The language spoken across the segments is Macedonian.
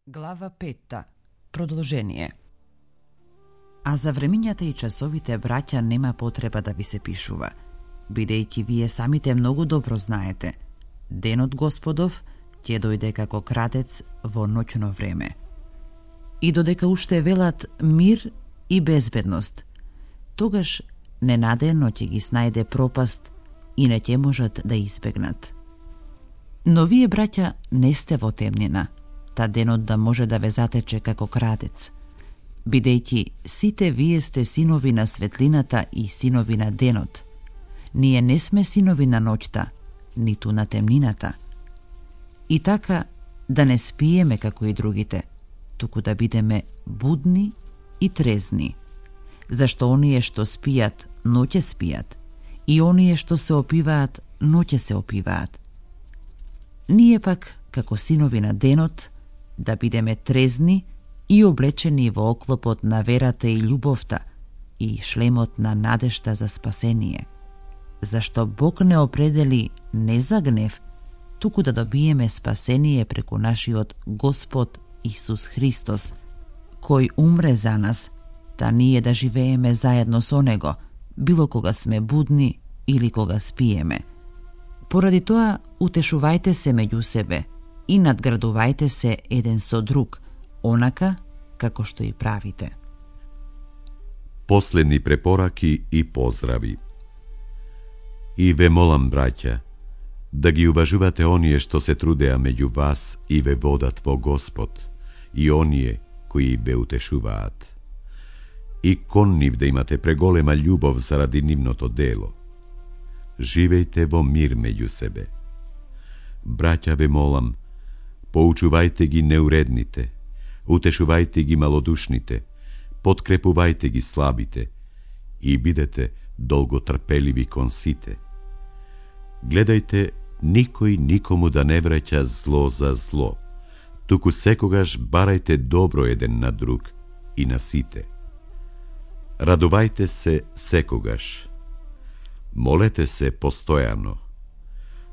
Глава 5. Продолжение. А за времињата и часовите, браќа, нема потреба да ви се пишува, бидејќи вие самите многу добро знаете, денот Господов ќе дојде како крадец во ноќно време. И додека уште велат мир и безбедност, тогаш ненадено ќе ги снајде пропаст и не ќе можат да избегнат. Но вие, браќа, не сте во темнина, та денот да може да ве затече како крадец, бидејќи сите вие сте синови на светлината и синови на денот. Ние не сме синови на ноќта, ниту на темнината. И така да не спиеме како и другите, туку да бидеме будни и трезни. Зашто оние што спијат, ноќе спијат, и оние што се опиваат, ноќе се опиваат. Ние пак, како синови на денот, да бидеме трезни и облечени во оклопот на верата и љубовта и шлемот на надежта за спасение. Зашто Бог не определи не за гнев, туку да добиеме спасение преку нашиот Господ Исус Христос, кој умре за нас, та ние да живееме заедно со Него, било кога сме будни или кога спиеме. Поради тоа, утешувајте се меѓу себе и надградувајте се еден со друг, онака како што и правите. Последни препораки и поздрави. И ве молам, браќа, да ги уважувате оние што се трудеа меѓу вас и ве водат во Господ, и оние кои ве утешуваат. И кон нив да имате преголема љубов заради нивното дело. Живејте во мир меѓу себе. Браќа, ве молам, поучувајте ги неуредните, утешувајте ги малодушните, подкрепувајте ги слабите и бидете долготрпеливи кон сите. Гледајте никој никому да не враќа зло за зло, туку секогаш барајте добро еден на друг и на сите. Радувајте се секогаш. Молете се постојано.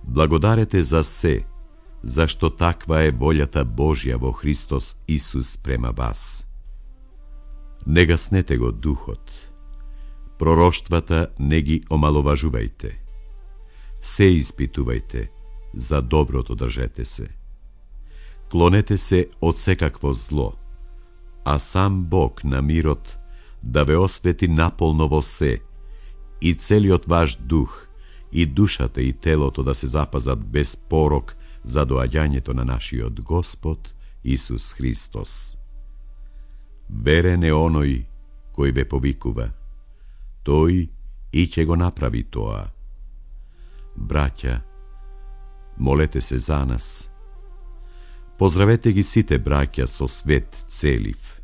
Благодарете за се, зашто таква е волјата Божја во Христос Исус према вас. Не гаснете го духот. Пророштвата не ги омаловажувајте. Се испитувајте, за доброто држете се. Клонете се од секакво зло, а сам Бог на мирот да ве освети наполно во се, и целиот ваш дух, и душата и телото да се запазат без порок за доаѓањето на нашиот Господ Исус Христос. Верен е оној кој ве повикува, тој и ќе го направи тоа. Браќа, молете се за нас. Поздравете ги сите браќа со свет целив.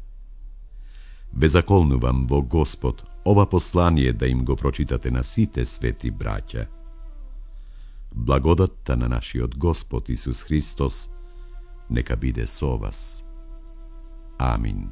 Ве заколнувам во Господ ова послание да им го прочитате на сите свети браќа. Благодатта на нашиот Господ Исус Христос нека биде со вас. Амин.